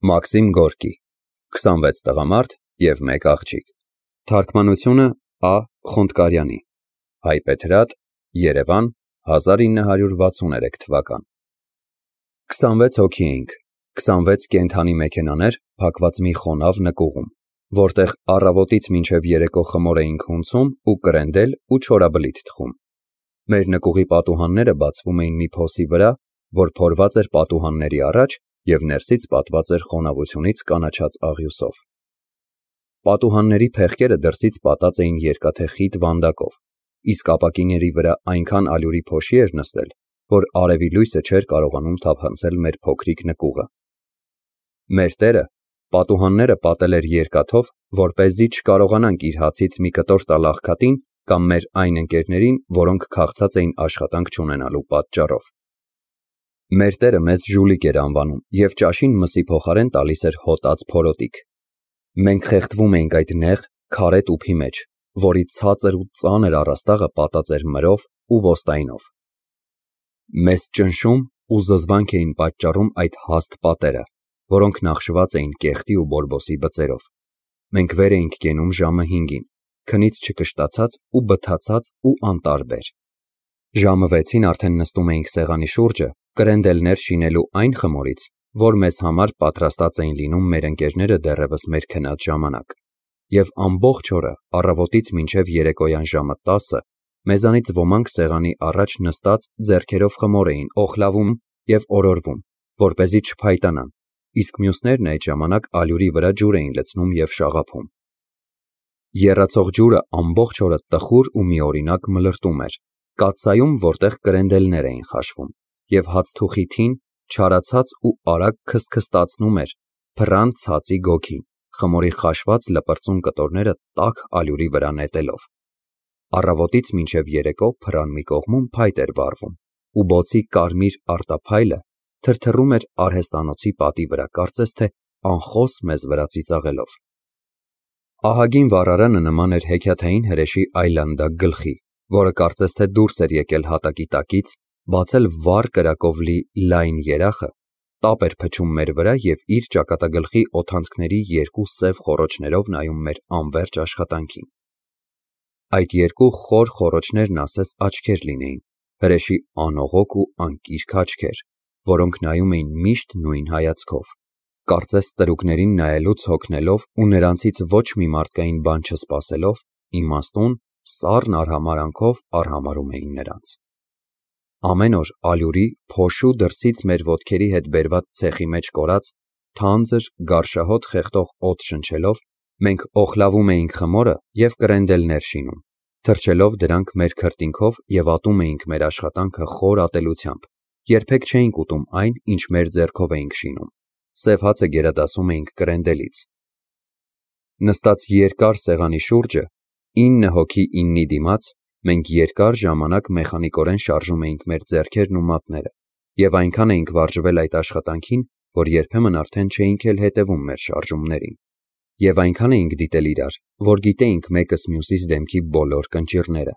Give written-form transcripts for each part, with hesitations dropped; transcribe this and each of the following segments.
Մաքսիմ Գորկի 26 տղամարդ և 1 աղջիկ Թարգմանությունը Ա. Խոնդկարյանի Հայբեթրատ Երևան 1963 թվական 26 հոգի էինք 26 կենդանի մեքենաներ փակված մի խոնավ նկուղում, որտեղ առավոտից մինչև երեկո խմոր էինք հունցում ու կրենդել ու չորաբլիթ թխում։ Մեր նկուղի պատուհանները բացվում էին մի փոսի վրա, որ փորված էր պատուհանների առաջ և ներսից պատված էր խոնավությունից կանաչած աղյուսով։ Պատուհանների փեղկերը դրսից պատած էին երկաթե խիտ վանդակով, իսկ ապակիների վրա այնքան ալյուրի փոշի էր նստել, որ արևի լույսը չէր կարողանում թափանցել մեր փոքրիկ նկուղը։ Մեր տերը պատուհանները պատել էր երկաթով, որպեսզի չկարողանանք իր հացից մի կտոր տալ աղքատին կամ մեր այն ընկերներին, որոնք քաղցած էին աշխատանք չունենալու պատճառով։ Մեր տերը մեզ ժուլիկ էր անվանում և ճաշին մսի փոխարեն տալիս էր հոտած փորոտիք։ Մենք խեղդվում էինք այդ նեղ, քարե տուփի մեջ, որի ցածր ու ծանր առաստաղը պատած էր մրով ու ոստայնով։ Մեզ ճնշում ու զզվանք էին պատճառում այդ հաստ պատերը, որոնք նախշված էին կեղտի ու բորբոսի բծերով։ Մենք վեր էինք կենում ժամը 5-ին, քնից չկշտացած ու բթացած ու անտարբեր։ Ժամը 6-ին արդեն նստում էինք սեղանի շուրջը կրենդելներ շինելու այն խմորից, որ մեզ համար պատրաստած էին լինում մեր ընկերները դեռևս մեր քնած ժամանակ, և ամբողջ օրը առավոտից մինչև երեկոյան ժամը 10-ը մեզանից ոմանք սեղանի առաջ նստած ձեռքերով խմոր էին օխլավում և օրորվում, որպեսզի չփայտանան, իսկ մյուսներն այդ ժամանակ ալյուրի վրա ջուր էին լցնում և շաղափում։ Եռացող ջուրը ամբողջ օրը տխուր ու միօրինակ մլրտում էր կաթսայում, որտեղ կրենդելներ էին խաշվում, և հացթուխի թին չարացած ու արագ քստքստացնում էր փռան ցածի գոգին, խմորի խաշված լպրծուն կտորները տաք ալյուրի վրա նետելով։ Առավոտից մինչև երեկո փռան մի կողմում փայտ էր վառվում, ու բոցի կարմիր արտափայլը թրթռում էր արհեստանոցի պատի վրա, կարծես թե անխոս մեզ վրա ծիծաղելով։ Ահագին վառարանը նման էր հեքիաթային հրեշի այլանդակ գլխի, որը կարծես թե դուրս էր եկել հատակի տակից, բացել վառ կրակով լի լայն երախը, տապ էր փչում մեր վրա և իր ճակատագլխի օդանցքների երկու սև խոռոչներով նայում մեր անվերջ աշխատանքին։ Այդ երկու խոր խոռոչներն ասես աչքեր լինեին, հրեշի անողոք ու անկիրք աչքեր, որոնք նայում էին միշտ նույն հայացքով, կարծես տրուկներին նայելուց հոգնելով ու նրանցից ոչ մի մարդկային բան չսպասելով, իմաստուն, սառն արհամարհանքով արհամարհում էին նրանց։ Ամեն օր ալյուրի, փոշու դրսից մեր ոտքերի հետ բերված ցեխի մեջ կորած, թանձր, գարշահոտ խեղդող օդ շնչելով, մենք օխլավում էինք խմորը և կրենդելներ շինում, թրջելով դրանք մեր քրտինքով և ատում էինք մեր աշխատանքը խոր ատելությամբ, երբեք չէինք ուտում այն, ինչ մեր ձեռքով էինք շինում, սև հացը գերադասում էինք կրենդելից։ Նստած երկար սեղանի շուրջը, 9 հոգի 9-ի դիմաց, մենք երկար ժամանակ մեխանիկորեն շարժում էինք մեր ձեռքերն ու մատները, և այնքան էինք վարժվել այդ աշխատանքին, որ երբեմն արդեն չէինք էլ հետևում մեր շարժումներին, և այնքան էինք դիտել իրար, որ գիտեինք մեկս մյուսիս դեմքի բոլոր կնճիռները։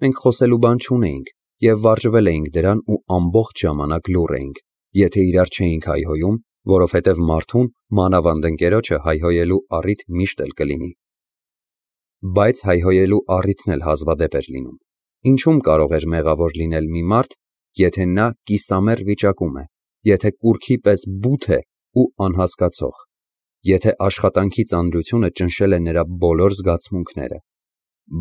Մենք խոսելու բան չունեինք և վարժվել էինք դրան ու ամբողջ ժամանակ լուռ էինք, եթե իրար չէինք հայհոյում, որովհետև մարդուն, մանավանդ ընկերոջը հայհոյելու առիթ միշտ էլ կլինի։ Բայց հայհոյելու առիթն էլ հազվադեպ էր լինում։ Ինչու՞մ կարող էր մեղավոր լինել մի մարդ, եթե նա կիսամեռ վիճակում է, եթե կուռքի պես բութ է ու անհասկացող, եթե աշխատանքի ծանրությունը ճնշել է նրա բոլոր զգացմունքները։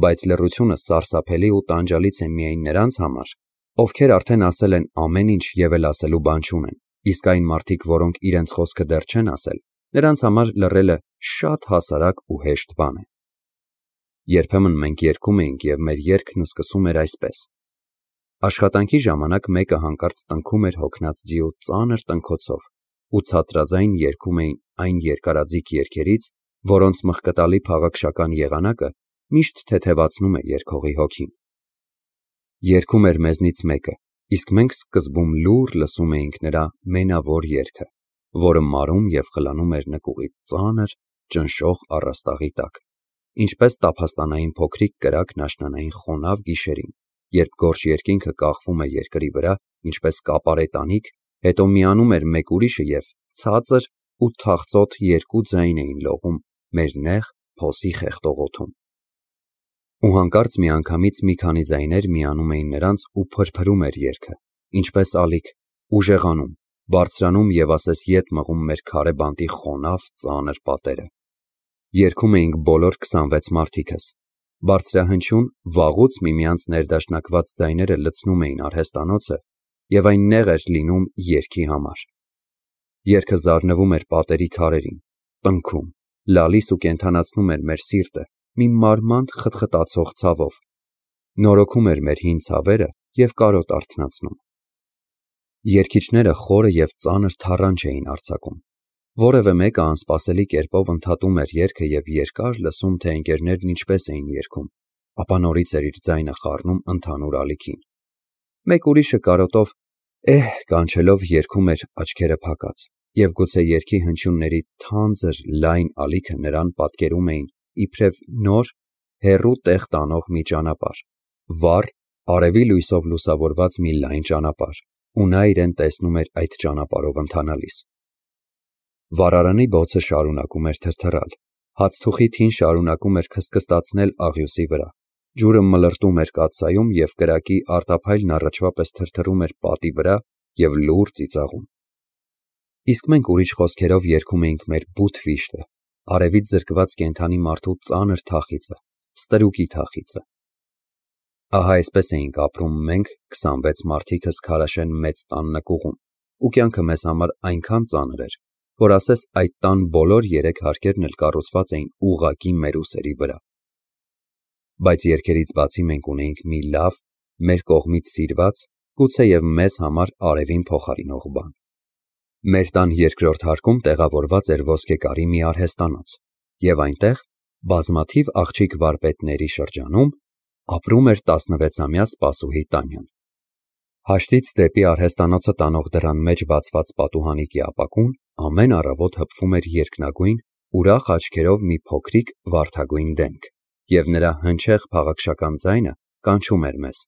Բայց լռությունը սարսափելի ու տանջալից է միայն նրանց համար, ովքեր արդեն ասել են ամեն ինչ և էլ ասելու բան չունեն, իսկ այն մարդիկ, որոնք իրենց խոսքը դեռ չեն ասել, նրանց համար լռելը շատ հասարակ ու հեշտ բան է։ Երբեմն մենք երգում էինք և մեր երգն սկսում էր այսպես. Աշխատանքի ժամանակ մեկը հանկարծ տնքում էր հոգնած ձիու ծանր տնքոցով ու ցածրաձայն երգում էին այն երկարաձիգ երգերից, որոնց մխկտալի փաղաքշական եղանակը միշտ թեթևացնում է երգողի հոգին։ Երգում էր մեզնից մեկը, իսկ մենք սկզբում լուռ լսում էինք նրա մենավոր երգը, որը մարում և խլանում էր նկուղի ծանր, ճնշող առաստաղի տակ, ինչպես տափաստանային փոքրիկ կրակն աշնանային խոնավ գիշերին, երբ գորշ երկինքը կախվում է երկրի վրա, ինչպես կապարե տանիք, հետո միանում էր մեկ ուրիշը և ցածր ու թախծոտ երկու ձայն էին լողում մեր նեղ փոսի խեղդող օդում։ Ու հանկարծ միանգամից մի քանի ձայներ միանում էին նրանց ու փրփրում էր երգը, ինչպես ալիք, ուժեղանում, բարձրանում և ասես ետ մղում մեր քարե բանտի խոնավ ծանր պատերը։ Երգում էինք բոլոր 26 մարդիկս։ Բարձրահնչյուն, վաղուց միմյանց ներդաշնակված ձայները լցնում էին արհեստանոցը և այն նեղ էր լինում երգի համար։ Երգը զարնվում էր պատերի քարերին, տնքում, լալիս ու կենդանացնում էր մեր սիրտը մի մարմանդ խտխտացող ցավով, նորոգում էր մեր հին ցավերը և կարոտ արթնացնում։ Երգիչները խորը և ծանր թառանչ էին արձակում։ Որևէ մեկը անսպասելի կերպով ընդհատում էր երգը և երկար լսում, թե ընկերներն ինչպես էին երգում, ապա նորից էր իր ձայնը խառնում ընդհանուր ալիքին։ Մեկ ուրիշը կարոտով կանչելով երգում էր աչքերը փակած, և գուցե երգի հնչյունների թանձր լայն ալիքը նրան պատկերում էին իբրև նոր, հեռու տեղ տանող մի ճանապարհ, վառ, արևի լույսով լուսավորված մի լայն ճանապարհ, ու նա իրեն տեսնում էր այդ ճանապարհով ընթանալիս։ Վառարանի բոցը շարունակում էր թրթռալ, հացթուխի թին շարունակում էր քստքստացնել աղյուսի վրա, ջուրը մլրտում էր կաթսայում և կրակի արտափայլն առաջվա պես թրթռում էր պատի վրա և լուռ ծիծաղում։ Իսկ մենք ուրիշ խոսքերով երգում էինք մեր բութ վիշտը, արևից զրկված կենդանի մարդու ծանր թախիծը, ստրուկի թախիծը։ Ահա այսպես էինք ապրում մենք 26 մարդիկս Քարաշեն մեծ տան նկուղում, ու կյանքը մեզ համար այնքան ծանր էր, որ ասես այդ տան բոլոր 3 հարկերն էլ կառուցված էին ուղղակի մեր ուսերի վրա։ Բայց երգերից բացի մենք ունեինք մի լավ, մեր կողմից սիրված, գուցեև մեզ համար արևին փոխարինող բան։ Մեր տան երկրորդ հարկում տեղավորված էր ոսկեկարի մի արհեստանոց, և այնտեղ, բազմաթիվ աղջիկ վարպետների շրջանում, ապրում էր 16-ամյա սպասուհի Տանյան։ Հաշտից դեպի արհեստանոցը տանող դռան մեջ բացված պատուհանիկի ապակուն ամեն առավոտ հպվում էր երկնագույն, ուրախ աչքերով մի փոքրիկ վարդագույն դեմք, և նրա հնչեղ փաղաքշական ձայնը կանչում էր մեզ.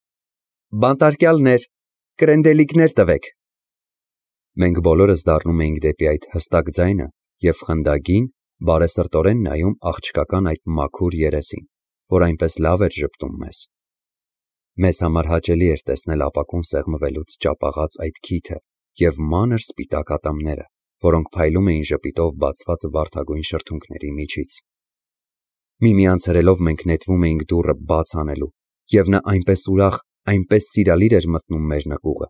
«Բանտարկյալներ, կրենդելիկներ տվեք»։ Մենք բոլորս դառնում էինք դեպի այդ հստակ ձայնը և խնդագին, բարեսրտորեն նայում աղջկական այդ մաքուր երեսին, որ այնպես լավ էր ժպտում մեզ։ Մեզ համար հաճելի էր տեսնել ապակուն սեղմվելուց ճապաղած այդ քիթը և մանր սպիտակ ատամները, որոնք փայլում էին ժպիտով բացված վարդագույն շրթունքների միջից։ Միմյանց հրելով մենք նետվում էինք դուռը բաց անելու, և նա այնպես ուրախ, այնպես սիրալիր էր մտնում մեր նկուղը։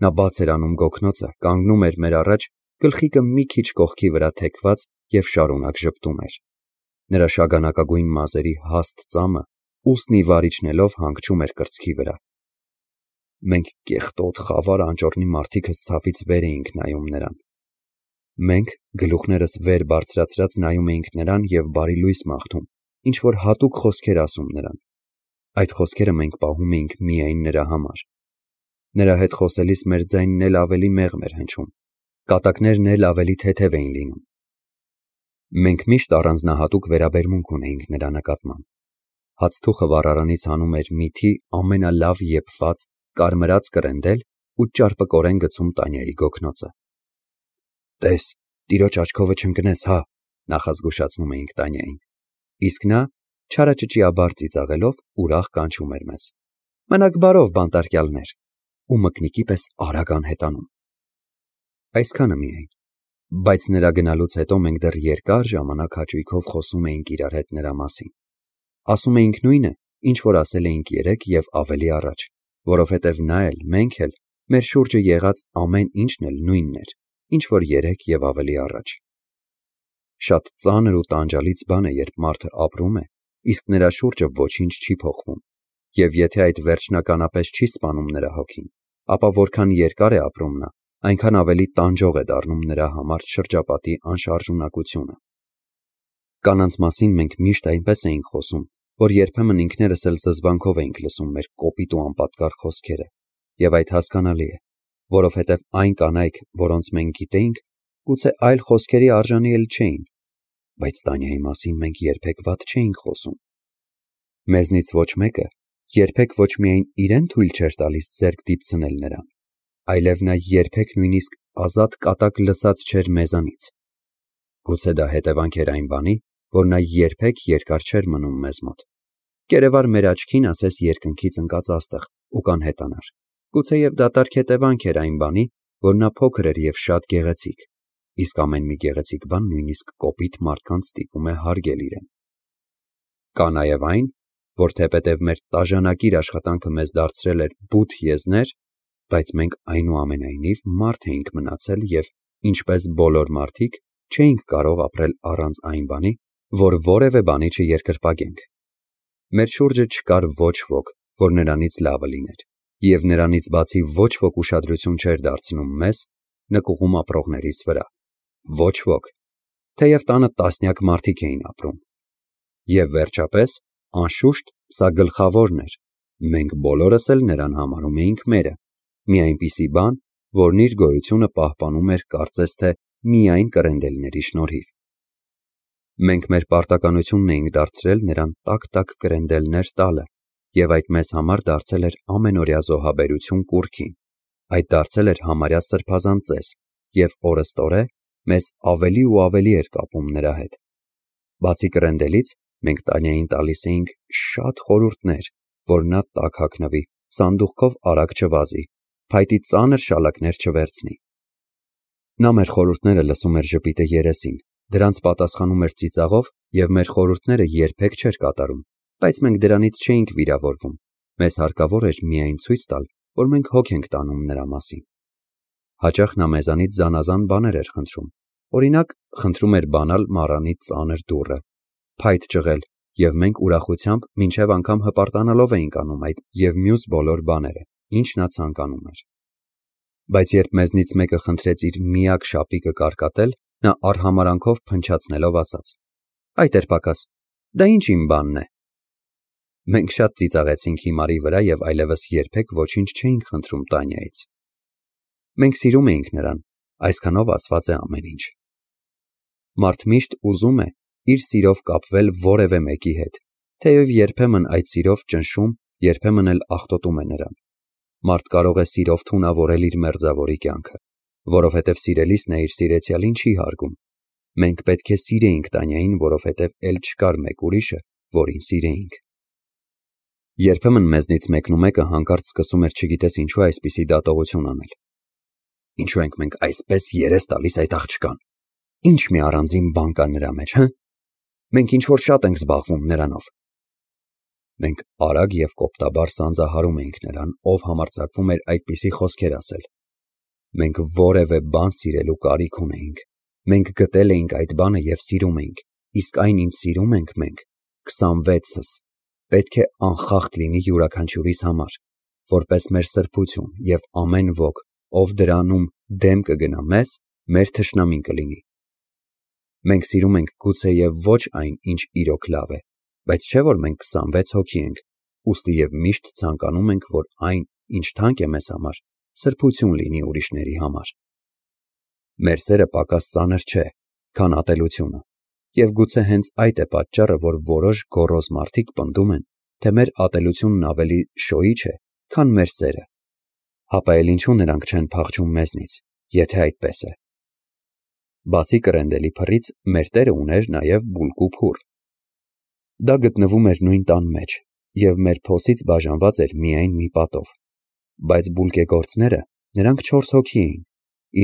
Նա բաց էր անում գոգնոցը, կանգնում էր մեր առաջ, գլխիկը մի քիչ կողքի վրա թեքված և շարունակ ժպտում էր։ Նրա շագանակագույն մազերի հաստ ծամը ուսն ի վար իջնելով հանգչում էր կրծքի վրա։ Մենք կեղտոտ, խավար անճոռնի մարդիկս ցավից վեր էինք նայում նրան։ Մենք գլուխներս վեր բարձրացրած նայում էինք նրան և բարի լույս մաղթում, ինչ-որ հատուկ խոսքեր ասում նրան։ Այդ խոսքերը մենք պահում էինք միայն նրա համար։ Նրա հետ խոսելիս մեր ձայնն էլ ավելի մեղմ էր հնչում, կատակներն էլ ավելի թեթև էին լինում։ Մենք միշտ առանձնահատուկ վերաբերմունք ունեինք նրա նկատմամբ։ Հացթուխը վառարանից հանում էր միթի ամենալավ եփված, կարմրած կրենդել ու ճարպկորեն գցում Տանյայի գոգնոցը։ «Տես, տիրոջ աչքովը չընկնես, հա», նախազգուշացնում էինք Տանյային։ Իսկ նա, չարաճճիաբար ծիծաղելով, ուրախ կանչում էր մեզ. «Մնաք բարով, բանտարկյալներ», ու մկնիկի պես արագ անհետանում։ Այսքանը միայն, բայց նրա գնալուց հետո մենք դեռ երկար ժամանակ հաճույքով խոսում էինք իրար հետ նրա մասին։ Ասում էինք նույնը, ինչ որ ասել էինք երեկ և ավելի առաջ, որովհետև նա էլ, մենք էլ, մեր շուրջը եղած ամեն ինչն էլ նույնն էր, ինչ որ երեկ և ավելի առաջ։ Շատ ծանր ու տանջալից բան է, երբ մարդը ապրում է, իսկ նրա շուրջը ոչինչ չի փոխվում, և եթե այդ վերջնականապես չի սպանում նրա հոգին, ապա որքան երկար է ապրում նա, այնքան ավելի տանջող է դառնում նրա համար շրջապատի անշարժունակությունը։ Կանանց մասին մենք միշտ այնպես էինք խոսում, որ երբեմն ինքներս էլ զզվանքով էինք լսում մեր կոպիտ ու անպատկար խոսքերը, և այդ հասկանալի է, որովհետև այն կանայք, որոնց մենք գիտեինք, գուցե այլ խոսքերի արժանի էլ չէին, բայց Տանյայի մասին մենք երբեք վատ չէինք խոսում։ Մեզնից ոչ մեկը երբեք ոչ միայն իրեն թույլ չէր տալիս ձեռք դիպցնել նրան, այլև նա երբեք նույնիսկ ազատ կատակ լսած չէր մեզանից, Գուցե դա հետևանք էր այն բանի, որ նա երբեք երկար չէր մնում մեզ մոտ։ Կերևար մեր աչքին ասես երկնքից ընկած աստղ ու կանհետանար։ Գուցեև դատարկ հետևանք էր այն բանի, որ նա փոքր էր եւ շատ գեղեցիկ, իսկ ամեն մի գեղեցիկ բան նույնիսկ կոպիտ մարդկանց ստիպում է հարգել իրեն։ Կա նաեւ այն, որ թեպետև մեր տաժանակիր աշխատանքը մեզ դարձրել էր բութ եզներ, բայց մենք այնուամենայնիվ մարդ էինք մնացել եւ, ինչպես բոլոր մարդիկ, չէինք կարող ապրել առանց այն բանի, որ որևէ բանի չերկրպագենք։ Մեր շուրջը չկար ոչ ոք, որ նրանից լավը լիներ, եւ նրանից բացի ոչ ոք ուշադրություն չէր դարձնում մեզ, նկուղում ապրողներիս վրա։ Ոչ ոք, թեև տանը տասնյակ մարդիկ էին ապրում։ Եվ վերջապես, անշուշտ, սա գլխավորն էր, մենք բոլորս էլ նրան համարում էինք մերը, մի այնպիսի բան, որն իր գոյությունը պահպանում էր կարծես թե միայն կրենդելների շնորհիվ։ Մենք մեր պարտականությունն էինք դարձրել նրան տաք կրենդելներ տալը, եւ այդ մեզ համար դարձել էր ամենօրյա զոհաբերություն կուռքին, այդ դարձել էր համարյա սրբազան ծես, եւ օրըստօրե մեզ ավելի ու ավելի էր կապում նրա հետ։ Բացի կրենդելից, մենք Տանյային տալիս էինք շատ խորհուրդներ, որ նա տաք հագնվի, սանդուղքով արագ չվազի, փայտի ծանր շալակներ չվերցնի։ Նա մեր խորհուրդները լսում էր ժպիտը երեսին, դրանց պատասխանում էր ծիծաղով եւ մեր խորհուրդները երբեք չէր կատարում, բայց մենք դրանից չէինք վիրավորվում, մեզ հարկավոր էր միայն ցույց տալ, որ մենք հոգ ենք տանում նրա մասին։ Հաճախ նա մեզանից զանազան բաներ էր խնդրում, օրինակ խնդրում էր բանալ մառանի ծանր դուռը, փայտ ճղել, եւ մենք ուրախությամբ մինչև անգամ հպարտանալով էինք անում այդ եւ մյուս բոլոր բաները, ինչ նա ցանկանում էր։ Բայց երբ մեզնից մեկը խնդրեց իր միակ շապիկը կարկատել, նա արհամարանքով փնչացնելով ասաց. «Այդ էր պակաս, դա ինչ իմ բանն է»։ Մենք շատ ծիծաղեցինք հիմարի վրա եւ այլևս երբեք ոչինչ չէինք խնդրում Տանյայից։ Մենք սիրում էինք նրան, այսքանով ասված է ամեն ինչ։ Մարդ միշտ ուզում է իր սիրով կապվել որևէ մեկի հետ, թեև երբեմն այդ սիրով ճնշում, երբեմն էլ աղտոտում է նրան։ Մարդ կարող է սիրով թունավորել իր մերձավորի կյանքը, որովհետև սիրելիս նա իր սիրեցյալին չի հարգում։ Մենք պետք է սիրեինք Տանյային, որովհետև էլ չկար մեկ ուրիշը, որին սիրեինք։ Երբեմն մեզնից մեկն ու մեկը հանկարծ սկսում էր չգիտես ինչու այսպիսի դատողություն անել։ Ինչու ենք մենք այսպես երես տալիս այդ աղջկան։ Ինչ մի առանձին բան կա նրա մեջ, հը։ Մենք ինչ որ շատ ենք զբաղվում նրանով։ Մենք արագ եւ կոպտաբար սանձահարում էինք նրան, ով համարձակվում էր այդպիսի խոսքեր ասել։ Մենք որևէ բան սիրելու կարիք ունեինք։ Մենք գտել էինք այդ բանը եւ սիրում էինք, իսկ այն ինչ սիրում ենք մենք, 26-ս, պետք է անխախտ լինի յուրաքանչյուրիս համար, որպես մեր սրբություն եւ ամեն ոք, ով դրանում դեմ կգնա մեզ, մեր թշնամին կլինի։ Մենք սիրում ենք գուցեև ոչ այն, ինչ իրոք լավ է, բայց չէ որ մենք 26 հոգի ենք, ուստի եւ միշտ ցանկանում ենք, որ այն, ինչ թանկ է մեզ համար, սրբություն լինի ուրիշների համար։ Մեր սերը պակաս ծանր չէ, քան ատելությունը, եւ գուցե հենց այդ է պատճառը, որ որոշ գոռոզ մարդիկ պնդում են, թե մեր ատելությունն ավելի շոյիչ է, քան մեր սերը։ Հապա էլ ինչու նրանք չեն փախչում մեզնից, եթե այդպես է։ Բացի կրենդելի փռից, մեր տերը ուներ նաև բուլկու փուռ։ Դա գտնվում էր նույն տան մեջ, եւ մեր փոսից բաժանված էր միայն մի պատով։ Բայց բուլկեգործները, նրանք 4 հոգի էին,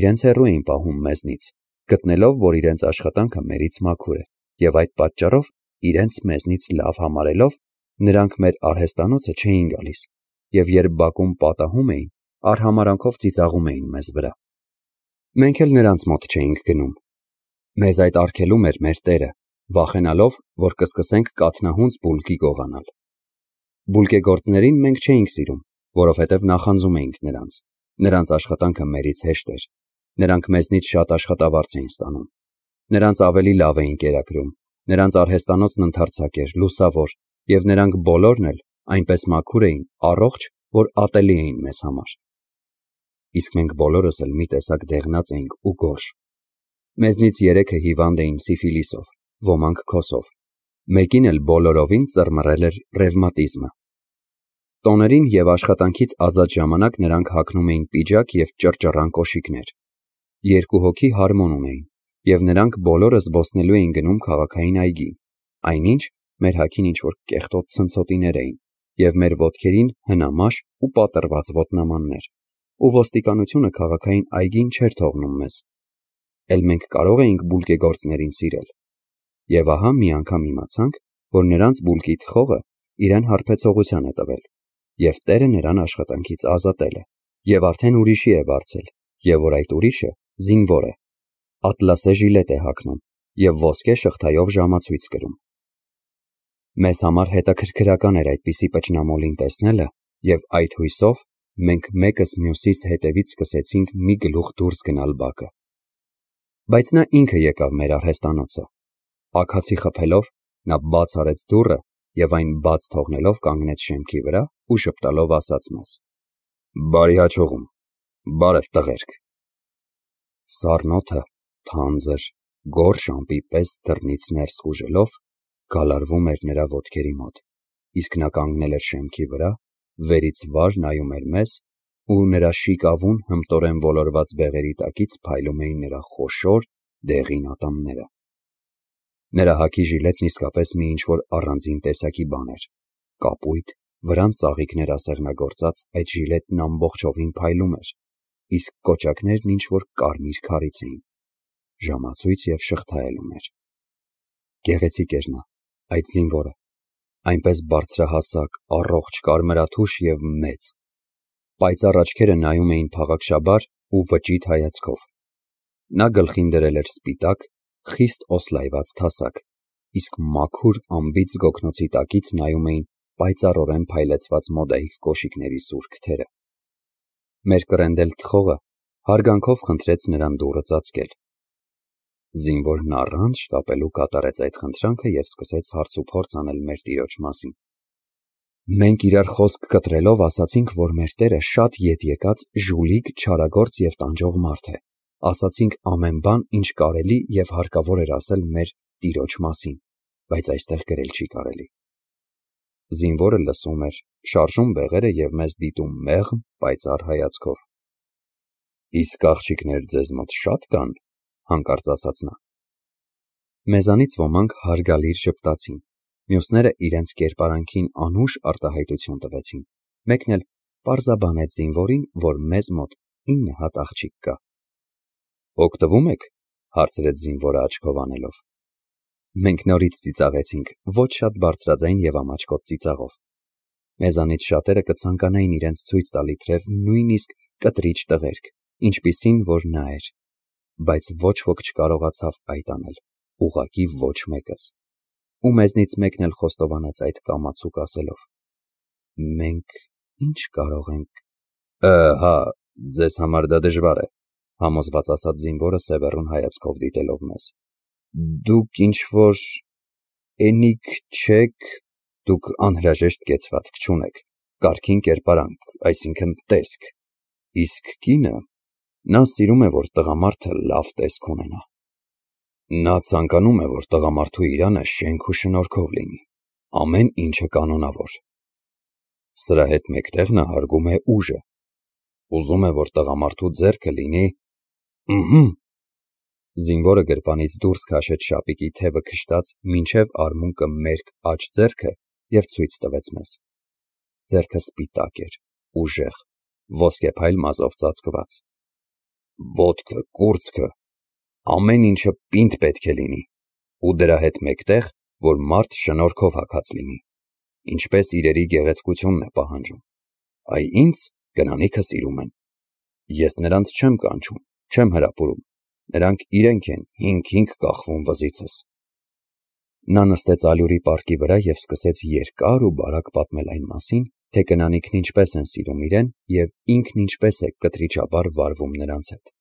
իրենց հեռու էին պահում մեզնից, գտնելով, որ իրենց աշխատանքը մերից մաքուր է, եւ այդ պատճառով իրենց մեզնից լավ համարելով, նրանք մեր արհեստանոցը չէին գալիս, եւ երբ բակում պատահում էին, արհամարանքով ծիծաղում էին մեզ վրա։ Մենք էլ նրանց մոտ չէինք գնում։ Մեզ այդ արգելում էր մեր տերը, վախենալով, որ կսկսենք կաթնահունց բուլկի գողանալ։ Բուլկեգործներին մենք չէինք սիրում, որովհետև նախանձում էինք նրանց։ Նրանց աշխատանքը մերից հեշտ էր։ Նրանք մեզնից շատ աշխատավարձ էին ստանում։ Նրանց ավելի լավ էին կերակրում։ Նրանց արհեստանոցն ընդարձակ էր, լուսավոր, եւ նրանք բոլորն էլ այնպես մաքուր էին, առողջ, որ ատելի էին մեզ համար։ Իսկ մենք բոլորս էլ մի տեսակ դեղնած էինք ու գորշ։ Մեզնից 3-ը հիվանդ էին սիֆիլիսով, ոմանք քոսով։ Մեկին էլ բոլորովին ծռմռել էր ռևմատիզմը։ Տոներին եւ աշխատանքից ազատ ժամանակ նրանք հագնում էին պիջակ եւ ճռճռան կոշիկներ։ 2 հոգի հարմոն ունեին, և նրանք բոլորը զբոսնելու էին գնում քաղաքային այգի, այնինչ մեր հագին ինչ-որ կեղտոտ ցնցոտիներ էին, և մեր ոտքերին հնամաշ ու պատռված ոտնամաններ, ու ոստիկանությունը քաղաքային այգին չէր թողնում մեզ, էլ մենք կարող էինք բուլկեգործներին սիրել, և ահա մի անգամ իմացանք, որ նրանց բուլկի թխողը իրեն հարբեցողության է տվել, և տերը նրան աշխատանքից ազատել է, և արդեն ուրիշի է վարձել, և որ այդ ուրիշը զինվոր է, ատլասե ժիլետ է հագնում և ոսկե շղթայով ժամացույց կրում։ Մեզ համար հետաքրքրական էր այդպիսի պճնամոլին տեսնելը, և այդ հույսով մենք մեկս մյուսիս հետևից սկսեցինք մի գլուխ դուրս գնալ բակը։ Բայց նա ինքը եկավ մեր արհեստանոցը։ Աքացի խփելով, նա բաց արեց դուռը և այն բաց թողնելով կանգնեց շեմքի վրա ու ժպտալով ասաց մեզ. «Բարի հաջողում, բարև տղերք»։ Սառն օդը թանձր, գորշ ամպի պես դռնից ներս խուժելով գալարվում էր նրա ոտքերի մոտ, իսկ նա կանգնել էր շեմքի վրա, վերից վար նայում էր մեզ, ու նրա շիկավուն հմտորեն ոլորված բեղերի տակից փայլում էին նրա խոշոր դեղին ատամները։ Նրա հագի ժիլետն իսկապես մի ինչ-որ առանձին տեսակի բան էր, կապույտ, վրան ծաղիկներ ասեղնագործած այդ ժիլետն ամբողջովին փայլում էր, իսկ կոճակներն ինչ-որ կարմիր քարից էին, ժամացույց և շղթա էլ ուներ։ Գեղեցիկ էր նա, այդ զինվորը, այնպես բարձրահասակ, առողջ, կարմրաթուշ և մեծ։ Պայծառ աչքերը նայում էին փաղաքշաբար ու վճիտ հայացքով։ Նա գլխին դրել էր սպիտակ, խիստ օսլայված թասակ, իսկ մաքուր անբիծ գոգնոցի տակից նայում էին պայծառորեն փայլեցված մոդայիկ կոշիկների սուր քթերը։ Մեր կռենդել թխողը հարգանքով խնդրեց նրան դուռը ծածկել։ Զինվորն առանց շտապելու կատարեց այդ խնդրանքը և սկսեց հարցուփորձ անել մեր տիրոջ մասին։ Մենք իրար խոսք կտրելով ասացինք, որ մեր տերը շատ ետ եկած ժուլիկ, չարագործ և տանջող մարդ է, ասացինք ամեն բան, ինչ կարելի և հարկավոր էր ասել մեր տիրոջ մասին, բայց այստեղ գրել չի կարելի։ Զինվորը լսում էր, շարժում բեղերը և մեզ դիտում մեղմ, պայծառ հայացքով։ Իսկ աղջիկներ ձեզ մոտ շատ կան, հանկարծ ասաց նա։ Մեզանից ոմանք հարգալից ժպտացին, մյուսները իրենց կերպարանքին անուշ արտահայտություն տվեցին, մեկն էլ պարզաբանեց զինվորին, որ մեզ մոտ 9 հատ աղջիկ կա։ Օգտվում եք, հարցրեց զինվորը աչքով անելով։ Մենք նորից ծիծաղեցինք, ոչ շատ բարձրաձայն և ամաչկոտ ծիծաղով։ Մեզանից շատերը կցանկանային իրենց ցույց տալ իբրև նույնիսկ կտրիչ տղերք, ինչպիսին որ նա էր, բայց ոչ ոք չկարողացավ այդ անել, ուղղակի ոչ մեկս, ու մեզնից մեկն էլ խոստովանեց այդ կամացուկ ասելով. Մենք ինչ կարող ենք։ Հա, ձեզ համար դա դժվար է, համոզված ասաց զինվորը սևեռուն հայացքով դիտելով մեզ։ Դուք ինչ-որ էնիկ չեք, դուք անհրաժեշտ կեցվածք չունեք, կարգին կերպարանք, այսինքն տեսք, իսկ կինը, նա սիրում է, որ տղամարդը լավ տեսք ունենա։ Նա ցանկանում է, որ տղամարդու իրանը շենք ու շնորհքով լինի, ամեն ինչը կանոնավոր։ Սրա հետ մեկտեղ նա հարգում է ուժը, ուզում է, որ տղամարդու ձեռքը լինի… Զինվորը գրպանից դուրս քաշեց շապիկի թևը քշտած մինչև արմունկը մերկ աջ ձեռքը և ցույց տվեց մեզ։ Ձեռքը սպիտակ էր, ուժեղ, ոսկեփայլ մազով ծածկված։ Ոտքը, կուրծքը, ամեն ինչը պինդ պետք է լինի, ու դրա հետ մեկտեղ, որ մարդ շնորհքով հագած լինի, ինչպես իրերի գեղեցկությունն է պահանջում։ Այ ինձ կնանիքը սիրում են։ Ես նրանց չեմ կանչում, չեմ հրապուրում, նրանք իրենք են հինգ-հինգ կախվում վզիցս։ Նա նստեց ալյուրի պարկի վրա և սկսեց երկար ու բարակ պատմել այն մասին, թե կնանիքն ինչպես են սիրում իրեն և ինքն ինչպես է կտրիճաբար վարվում նրանց հետ։